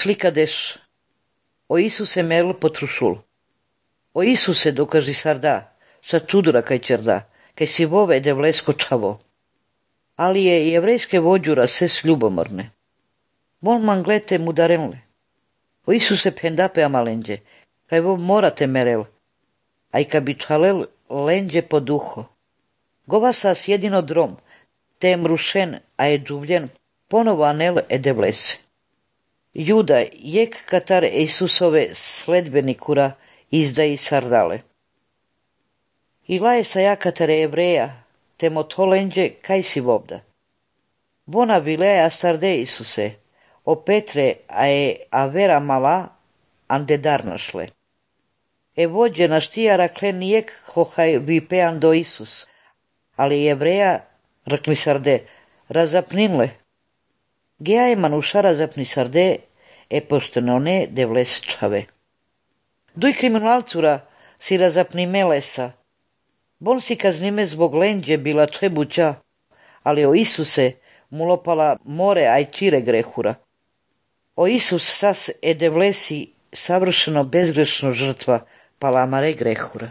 slikadeš o Isuse merl potrušul. O Isuse dokaži sarda, sa čudura kaj čerda, kaj si vove de vlesko čavo. Ali je jevrejske vođura ses ljubomorne. Bon man glete mudarenle. O Isuse pendape amalenđe, kaj vo morate merel, aj ka bi čalel lenđe po duho. Gova sas jedino drom, te mrušen, a je džuvljen, ponovo anel de vlese. Juda, jek katar Isusove sledbenikura izdaji sardale. I laje sa jakatare Evreja, te motolenđe kaj si vobda. Bona vilea starde Isuse, o Petre a je avera mala, ande darnašle. E vođe na štijara klen jek hohaj vipean do Isus, ali Evreja, rakli sarde, razapninle. Geaj manuša razapni sarde, e poštenone de vles čave. Duj kriminalcura si razapni melesa. Bon si kaznime zbog lenđe bila čebuća, ali o Isuse mulopala more aj čire grehura. O Isus sas de vlesi savršeno bezgrešno žrtva palamare grehura.